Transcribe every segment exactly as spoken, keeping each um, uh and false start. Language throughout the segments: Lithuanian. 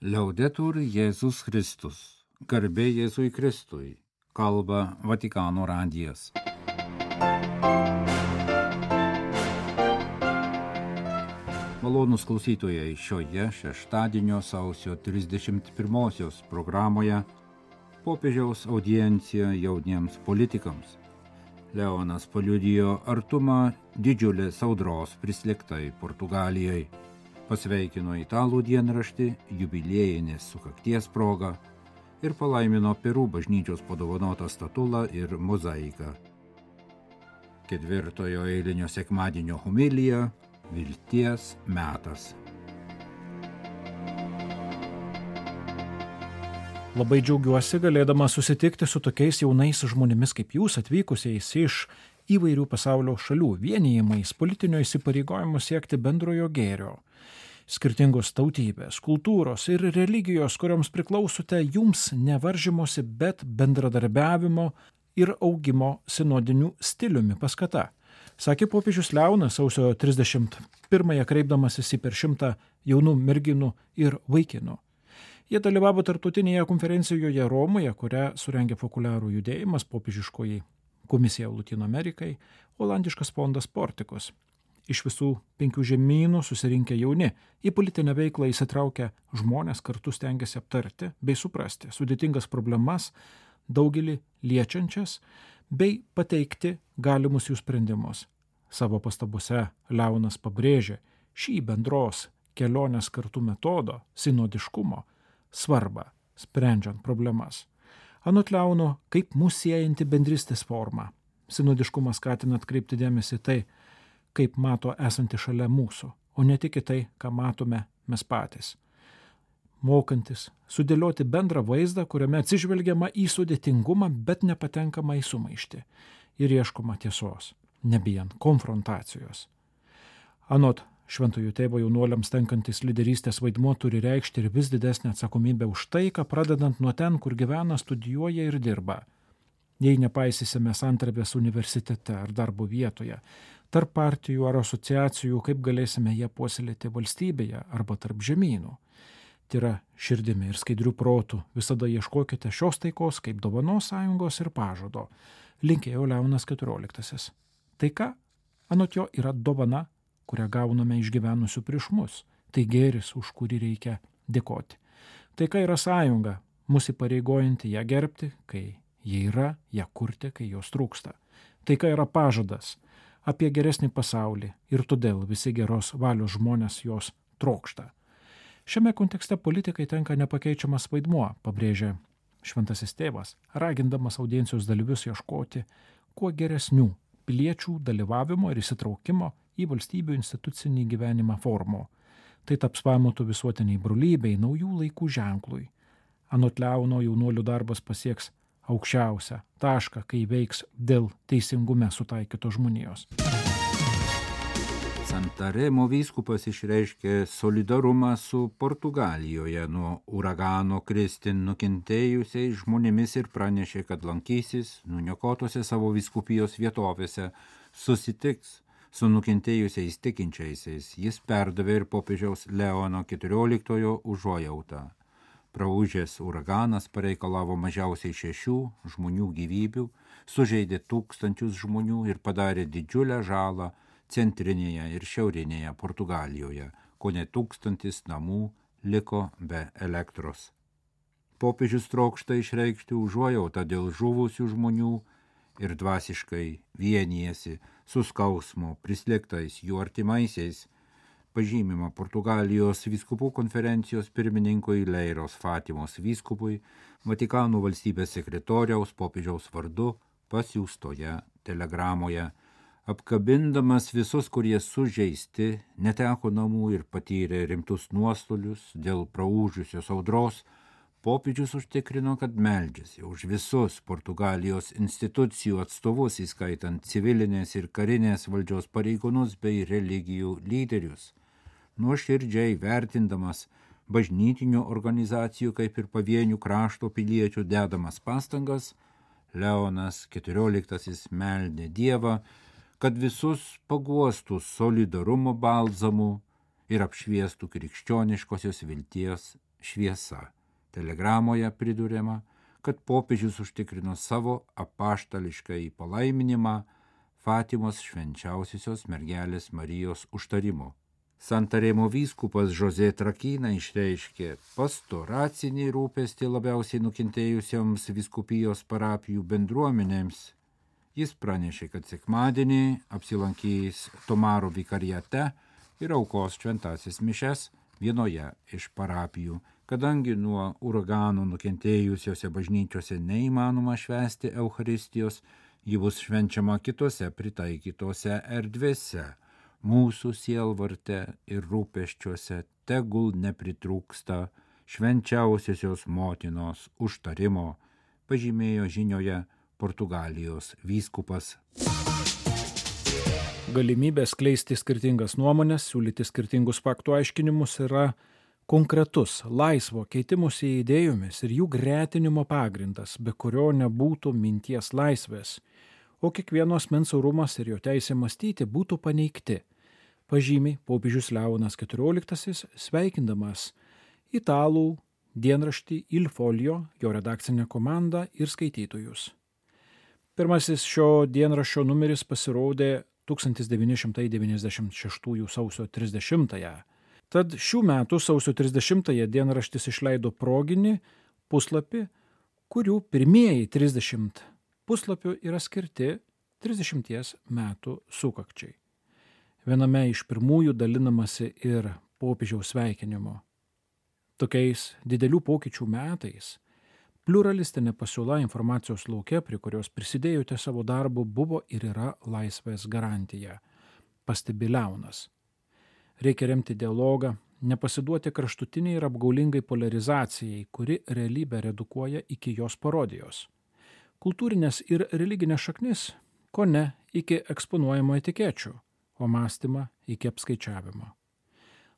Liaudetur Jėzus Kristus. Garbė Jėzui Kristui. Kalba Vatikano radijas. Malonūs klausytojai, šioje šeštadienio sausio trisdešimt pirmosios programoje popiežiaus audiencija jauniems politikams. Leonas paliudijo artumą didžiulės audros prislėgtai Portugalijai. Pasveikino italų dienraštį jubiliejinės sukakties proga ir palaimino Perų bažnyčios padovanotą statulą ir mozaiką. Ketvirtojo eilinio sekmadienio homilija – vilties metas. Labai džiaugiuosi galėdama susitikti su tokiais jaunais žmonėmis kaip jūs, atvykusiais iš įvairių pasaulio šalių, vienijimais politinio įsipareigojimo siekti bendrojo gėrio. Skirtingos tautybės, kultūros ir religijos, kurioms priklausote, jums nevaržymosi, bet bendradarbiavimo ir augimo sinodinių stiliumi paskata. Sakė popiežius Leonas sausio trisdešimt pirmąją kreipdamasis į per šimtą jaunų merginų ir vaikinų. Jie dalyvavo tarptautinėje konferencijoje Romoje, kurią surengė Populiarų judėjimas, popiežiškoji komisija Lotynų Amerikai, olandiškas fondas Portikus. Iš visų penkių žemynų susirinkę jauni, į politinę veiklą įsitraukę žmonės kartu stengiasi aptarti bei suprasti sudėtingas problemas, daugelį liečiančias, bei pateikti galimus jų sprendimus. Savo pastabose Leonas pabrėžė šį bendros kelionės kartu metodo, sinodiškumo, svarbą, sprendžiant problemas. Anot Leono, kaip mus siejanti bendrystės forma. Sinodiškumas skatina atkreipti dėmesį tai, kaip mato esanti šalia mūsų, o ne tik į tai, ką matome mes patys. Mokantis sudėlioti bendrą vaizdą, kuriame atsižvelgiama į sudėtingumą, bet nepatenkama į sumaištį ir ieškoma tiesos, nebijant konfrontacijos. Anot Šventojo tėvo jaunuoliams tenkantis lyderystės vaidmuo turi reikšti ir vis didesnę atsakomybę už taiką, pradedant nuo ten, kur gyvena, studijuoja ir dirba. Jei nepaisysime santarvės universitete ar darbo vietoje, tarp partijų ar asociacijų, kaip galėsime ją puoselėti valstybėje arba tarp žemynų. Tyra širdimi ir skaidrių protų visada ieškokite šios taikos kaip dovanos, sąjungos ir pažado, linkėjo Leonas keturioliktasis. Taika, anot jo, yra dovana, kurią gauname iš gyvenusių prieš mus. Tai gėris, už kurį reikia dėkoti. Taika yra sąjunga, mus įpareigojanti ją gerbti, kai ji yra, ją kurti, kai jos trūksta. Taika yra pažadas apie geresnį pasaulį ir todėl visi geros valios žmonės jos trokšta. Šiame kontekste politikai tenka nepakeičiamas vaidmuo, pabrėžė Šventasis tėvas, ragindamas audiencijos dalyvius ieškoti kuo geresnių piliečių dalyvavimo ir įsitraukimo į valstybių institucinį gyvenimą formų. Tai taps pamatu visuotiniai brolybei, naujų laikų ženklui. Anot Leono, jaunuolių darbas pasieks aukščiausią tašką, kai veiks dėl teisingume sutaikytos žmonijos. Santaremo vyskupas išreiškė solidarumą su Portugalijoje nuo uragano Kristin nukentėjusiais žmonėmis ir pranešė, kad lankysis nuniokotose savo vyskupijos vietovėse, susitiks su nukentėjusiais tikinčiaisiais. Jis perdavė ir popiežiaus Leono keturioliktojo užuojautą. Praūžęs uraganas pareikalavo mažiausiai šešių žmonių gyvybių, sužeidė tūkstančius žmonių ir padarė didžiulę žalą centrinėje ir šiaurinėje Portugalijoje, kone tūkstantis namų liko be elektros. Popiežius trokšta išreikšti užuojautą dėl žuvusių žmonių ir dvasiškai vienijasi su skausmo prislėgtais jų artimaisiais, pažymima Portugalijos vyskupų konferencijos pirmininkui Leiros Fatimos vyskupui, Vatikano valstybės sekretoriaus popiežiaus vardu pasiųstoje telegramoje. Apkabindamas visus, kurie sužeisti, neteko namų ir patyrė rimtus nuostolius dėl praūžusios audros, popiežius užtikrino, kad meldžiasi už visus Portugalijos institucijų atstovus, įskaitant civilinės ir karinės valdžios pareigūnus bei religijų lyderius. Nuoširdžiai vertindamas bažnytinių organizacijų kaip ir pavienių krašto piliečių dedamas pastangas, Leonas keturioliktasis meldė Dievą, kad visus paguostų solidarumo balzamu ir apšviestų krikščioniškosios vilties šviesa. Telegramoje priduriama, kad popiežius užtikrino savo apaštališką į palaiminimą Fatimos švenčiausiosios mergelės Marijos užtarimu. Santarėmo vyskupas José Trakina išreiškė pastoracinį rūpestį labiausiai nukentėjusioms vyskupijos parapijų bendruomenėms. Jis pranešė, kad sekmadienį apsilankys Tomaro vikariate ir aukos šventasis mišes vienoje iš parapijų, kadangi nuo uraganų nukentėjusiose bažnyčiose neįmanoma švęsti Eucharistijos, ji bus švenčiama kitose pritaikytose erdvėse. Mūsų sielvarte ir rūpesčiuose tegul nepritrūksta švenčiausiosios motinos užtarimo, pažymėjo žinioje Portugalijos vyskupas. Galimybė skleisti skirtingas nuomonės, siūlyti skirtingus faktų aiškinimus yra konkretus, laisvo keitimusi idėjomis ir jų gretinimo pagrindas, be kurio nebūtų minties laisvės, o kiekvieno asmens orumas ir jo teisė mąstyti būtų paneigti, pažymi popiežius Leonas keturioliktasis, sveikindamas italų dienraštį Il Folio, jo redakcinę komandą ir skaitytojus. Pirmasis šio dienraščio numeris pasirodė tūkstantis devyni šimtai devyniasdešimt šeštųjų sausio trisdešimtąją. Tad šių metų sausio trisdešimtąją dienraštis išleido proginį puslapį, kurių pirmieji trisdešimt puslapių yra skirti trisdešimties metų sukakčiai. Viename iš pirmųjų dalinamasi ir popiežiaus sveikinimu. Tokiais didelių pokyčių metais pliuralistinė pasiūla informacijos lauke, prie kurios prisidėjote savo darbu, buvo ir yra laisvės garantija, pastebi Leonas. Reikia remti dialogą, nepasiduoti kraštutiniai ir apgaulingai polarizacijai, kuri realybę redukuoja iki jos parodijos. Kultūrinės ir religinės šaknis, ko ne iki eksponuojamo etikečių, o mąstymą iki apskaičiavimo.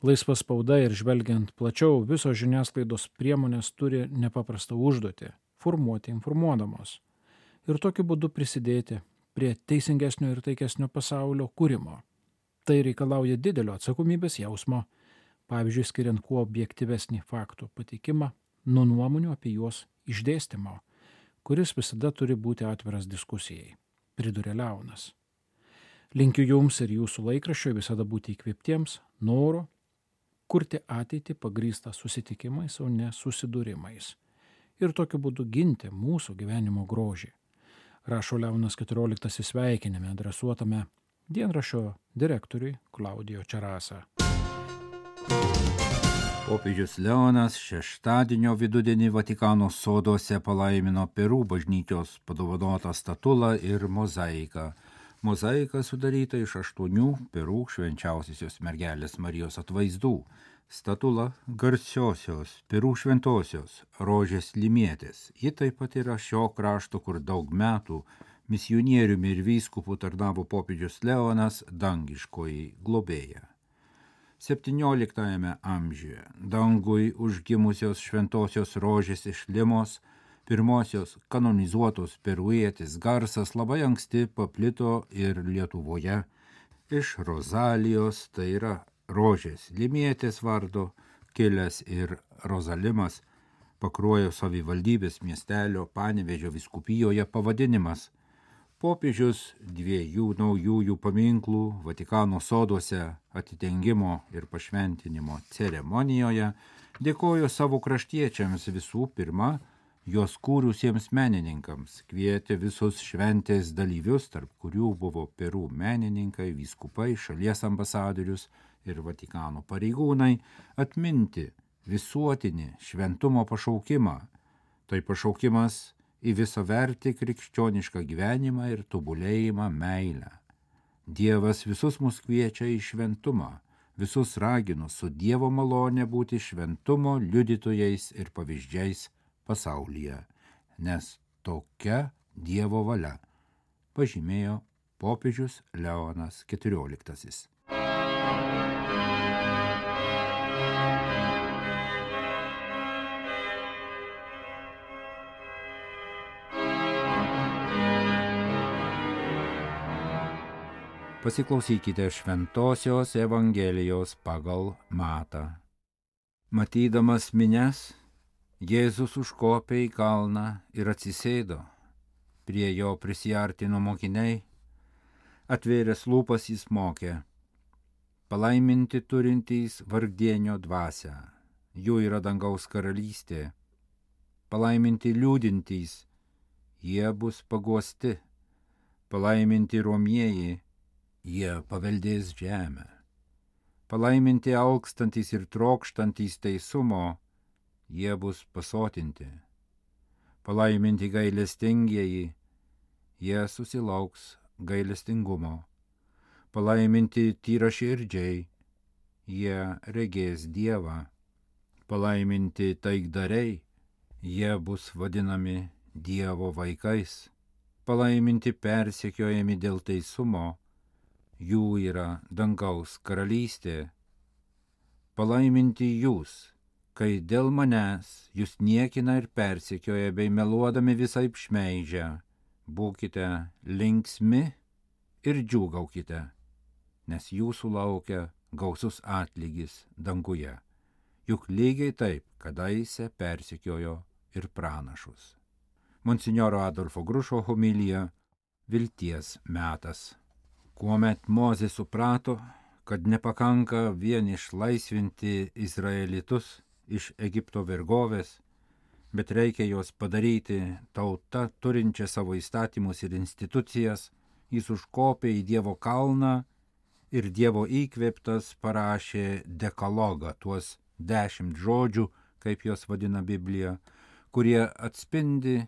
Laisva spauda ir žvelgiant plačiau, visos žiniasklaidos priemonės turi nepaprastą užduotį – formuoti informuodamos ir tokiu būdu prisidėti prie teisingesnio ir taikesnio pasaulio kūrimo. Tai reikalauja didelio atsakomybės jausmo, pavyzdžiui, skiriant kuo objektyvesnį faktų pateikimą nuo nuomonių apie juos išdėstymo, kuris visada turi būti atviras diskusijai, priduria Leonas. Linkiu jums ir jūsų laikraščiui visada būti įkvėptiems noro kurti ateitį pagrįstą susitikimais, o ne susidūrimais. Ir tokiu būdu ginti mūsų gyvenimo grožį. Rašo Leonas keturioliktasis sveikinime adresuotame dienraščio direktoriui Klaudijo Čerasa. Popiežius Leonas šeštadienio vidudienį Vatikano soduose palaimino Peru bažnyčios padovanotą statulą ir mozaiką. Mozaika sudaryta iš aštuonių Peru švenčiausiosios mergelės Marijos atvaizdų. Statula garsiosios Peru šventosios Rožės Limietės. Ji taip pat yra šio krašto, kur daug metų misionieriumi ir vyskupų tarnavo popiežius Leonas, dangiškoji globėja. septynioliktajame amžiuje dangui užgimusios šventosios Rožės iš Limos, pirmosios kanonizuotos peruietės garsas labai anksti paplito ir Lietuvoje. Iš Rozalijos, tai yra Rožės Limietės vardo, kilęs ir Rozalimas, Pakruojo savivaldybės miestelio Panevėžio vyskupijoje pavadinimas. Popiežius dviejų naujųjų paminklų Vatikano soduose atidengimo ir pašventinimo ceremonijoje dėkojo savo kraštiečiams visų pirma, juos kūrusiems menininkams, kvietė visus šventės dalyvius, tarp kurių buvo Peru menininkai, vyskupai, šalies ambasadorius ir Vatikano pareigūnai, atminti visuotinį šventumo pašaukimą. Tai pašaukimas į visavertį krikščionišką gyvenimą ir tobulėjimą meilę. Dievas visus mus kviečia į šventumą, visus ragino su Dievo malone būti šventumo liudytojais ir pavyzdžiais pasaulyje, nes tokia Dievo valia, pažymėjo popiežius Leonas keturioliktasis. Pasiklausykite Šventosios Evangelijos pagal Matą. Matydamas minias, Jėzus užkopė į kalną ir atsisėdo. Prie jo prisiartino mokiniai, atvėręs lūpas jis mokė: palaiminti turintys vargdienio dvasią, jų yra dangaus karalystė. Palaiminti liūdintys, jie bus paguosti. Palaiminti romieji, jie paveldės žemę. Palaiminti alkstantys ir trokštantys teisumo, jie bus pasotinti. Palaiminti gailestingieji, jie susilauks gailestingumo. Palaiminti tyraširdžiai, jie regės Dievą. Palaiminti taikdariai, jie bus vadinami Dievo vaikais. Palaiminti persekiojami dėl teisumo, jų yra dangaus karalystė. Palaiminti jūs, kai dėl manęs jūs niekina ir persekioja bei meluodami visaip šmeižia, būkite linksmi ir džiūgaukite, nes jūsų laukia gausus atlygis danguje. Juk lygiai taip kadaise persekiojo ir pranašus. Monsinjoro Adolfo Grušo homilija Vilties metas. Kuomet Mozė suprato, kad nepakanka vien išlaisvinti izraelitus iš Egipto vergovės, bet reikia juos padaryti tauta turinčia savo įstatymus ir institucijas, jis užkopė į Dievo kalną ir Dievo įkvėptas parašė dekalogą, tuos dešimt žodžių, kaip juos vadina Biblija, kurie atspindi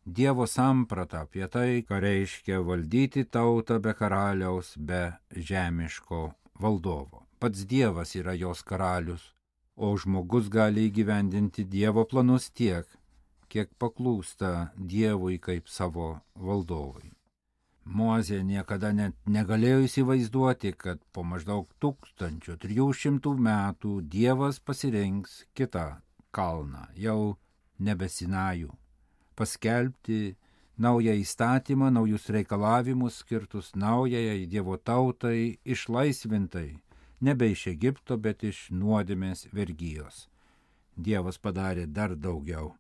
Dievo sampratą apie tai, ką reiškia valdyti tautą be karaliaus, be žemiško valdovo. Pats Dievas yra jos karalius, o žmogus gali įgyvendinti Dievo planus tiek, kiek paklūsta Dievui kaip savo valdovui. Mozė niekada net negalėjo įsivaizduoti, kad po maždaug tūkstančio trijų šimtų metų Dievas pasirinks kitą kalną, jau nebe Sinajų, paskelbti naują įstatymą, naujus reikalavimus skirtus naujai Dievo tautai, išlaisvintai, nebe iš Egipto, bet iš nuodėmės vergijos. Dievas padarė dar daugiau.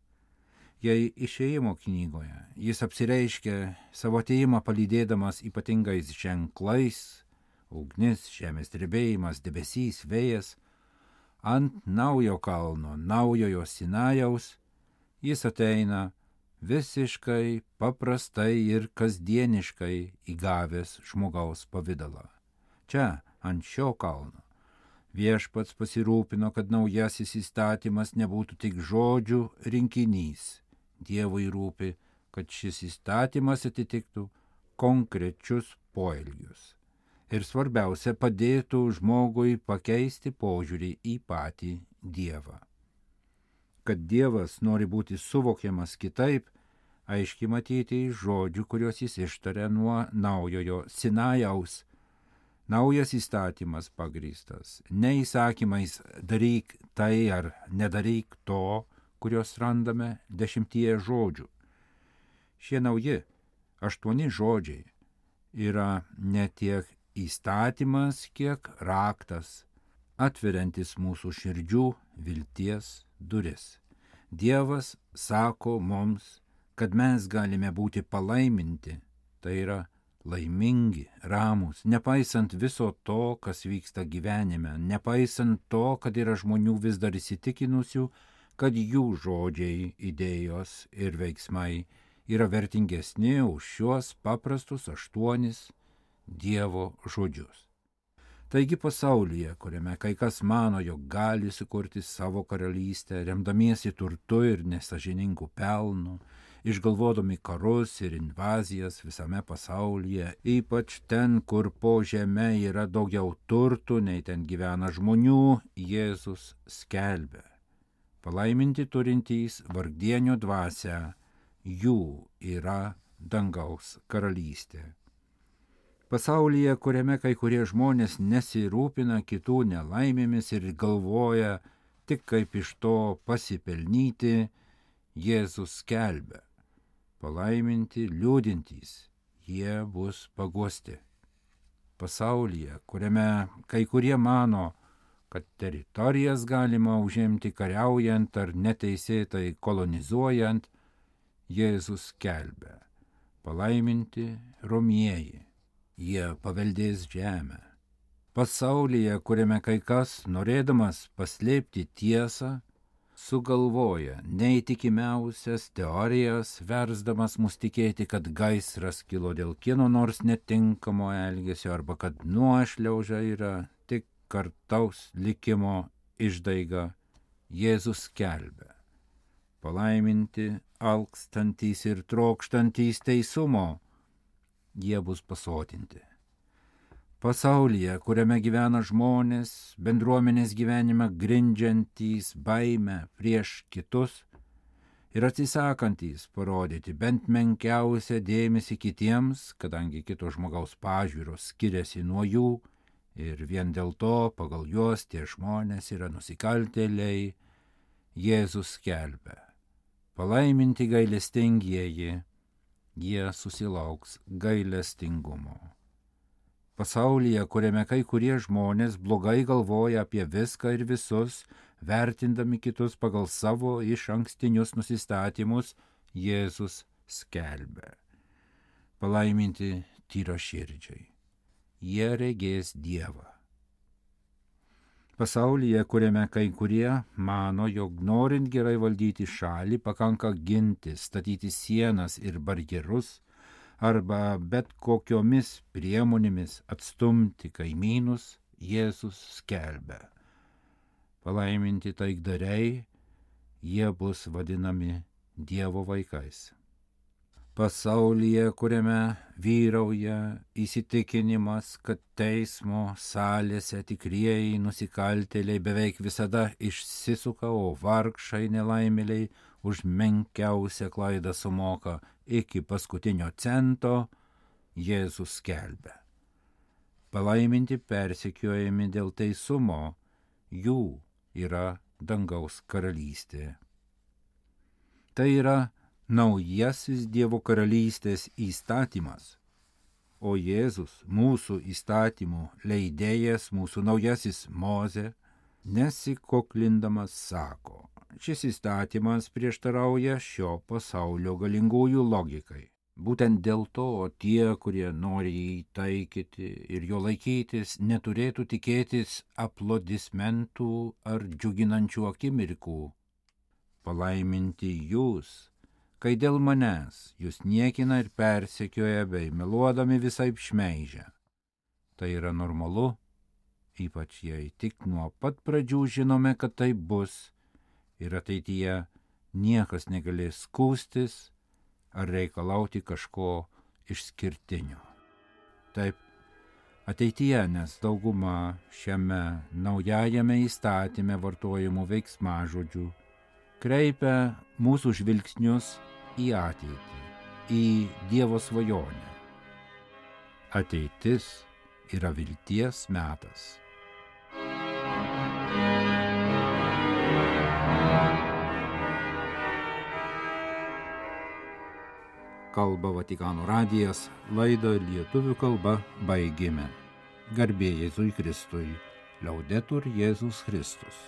Jei Išėjimo knygoje jis apsireiškia savo atėjimą palydėdamas ypatingais ženklais, ugnis, žemės drebėjimas, debesys, vėjas, ant naujo kalno, naujojo Sinajaus, jis ateina visiškai paprastai ir kasdieniškai įgavęs žmogaus pavidalą. Čia, ant šio kalno, viešpats pasirūpino, kad naujasis įstatymas nebūtų tik žodžių rinkinys. Dievui rūpi, kad šis įstatymas atitiktų konkrečius poelgius. Ir svarbiausia, padėtų žmogui pakeisti požiūrį į patį Dievą. Kad Dievas nori būti suvokiamas kitaip, aiškiai matyti iš žodžių, kuriuos jis ištaria nuo naujojo Sinajaus. Naujas įstatymas pagrįstas ne įsakymais daryk tai ar nedaryk to, kurios randame dešimtyje žodžių. Šie nauji aštuoni žodžiai yra ne tiek įstatymas, kiek raktas, atveriantis mūsų širdžių vilties duris. Dievas sako mums, kad mes galime būti palaiminti, tai yra laimingi, ramūs, nepaisant viso to, kas vyksta gyvenime, nepaisant to, kad yra žmonių vis dar įsitikinusių, kad jų žodžiai, idėjos ir veiksmai yra vertingesni už šiuos paprastus aštuonis Dievo žodžius. Taigi pasaulyje, kuriame kai kas mano, jog gali sukurti savo karalystę, remdamiesi turtu ir nesažiningų pelnų, išgalvodami karus ir invazijas visame pasaulyje, ypač ten, kur po žeme yra daugiau turtų, nei ten gyvena žmonių, Jėzus skelbia: palaiminti turintys vargdienio dvasią, jų yra dangaus karalystė. Pasaulyje, kuriame kai kurie žmonės nesirūpina kitų nelaimėmis ir galvoja tik kaip iš to pasipelnyti, Jėzus skelbia: palaiminti liūdintys, jie bus paguosti. Pasaulyje, kuriame kai kurie mano, kad teritorijas galima užimti kariaujant ar neteisėtai kolonizuojant, Jėzus skelbia: palaiminti romieji, jie paveldės žemę. Pasaulyje, kuriame kai kas, norėdamas paslėpti tiesą, sugalvoja neįtikimiausias teorijas, versdamas mus tikėti, kad gaisras kilo dėl kieno nors netinkamo elgesio arba kad nuošliauža yra tik kartaus likimo išdaiga. Jėzus skelbia: palaiminti alkstantys ir trokštantys teisumo, jie bus pasotinti. Pasaulyje, kuriame gyvena žmonės, bendruomenės gyvenimą grindžiantys baimę prieš kitus ir atsisakantys parodyti bent menkiausią dėmesį kitiems, kadangi kito žmogaus pažiūros skiriasi nuo jų ir vien dėl to pagal juos tie žmonės yra nusikaltėliai, Jėzus skelbia: palaiminti gailestingieji, jie susilauks gailestingumo. Pasaulyje, kuriame kai kurie žmonės blogai galvoja apie viską ir visus, vertindami kitus pagal savo išankstinius nusistatymus, Jėzus skelbia: palaiminti tyraširdžiai, jie regės Dievą. Pasaulyje, kuriame kai kurie mano, jog norint gerai valdyti šalį, pakanka ginti, statyti sienas ir barjerus, arba bet kokiomis priemonėmis atstumti kaimynus, Jėzus skelbia: palaiminti taikdariai, jie bus vadinami Dievo vaikais. Pasaulyje, kuriame vyrauja įsitikinimas, kad teismo salėse tikrieji nusikaltėliai beveik visada išsisuka, o vargšai nelaimėliai už menkiausią klaidą sumoka iki paskutinio cento, Jėzus skelbia: palaiminti persekiojami dėl teisumo, jų yra dangaus karalystė. Tai yra naujasis Dievo karalystės įstatymas, o Jėzus, mūsų įstatymų leidėjas, mūsų naujasis Mozė, nesikoklindamas sako: šis įstatymas prieštarauja šio pasaulio galingųjų logikai. Būtent dėl to tie, kurie nori jį taikyti ir jo laikytis, neturėtų tikėtis aplodismentų ar džiuginančių akimirkų. Palaiminti jūs, kai dėl manęs jūs niekina ir persekioja bei meluodami visaip šmeižia. Tai yra normalu, ypač jei tik nuo pat pradžių žinome, kad tai bus ir ateityje niekas negalės skųstis ar reikalauti kažko išskirtinio. Taip, ateityje, nes dauguma šiame naujajame įstatyme vartojamų veiksmažodžių kreipia mūsų žvilgsnius į ateitį, į Dievo svajonę. Ateitis yra vilties metas. Kalba Vatikano radijas, laidą lietuvių kalba baigėme. Garbė Jėzui Kristui, Liaudetur Jėzus Kristus.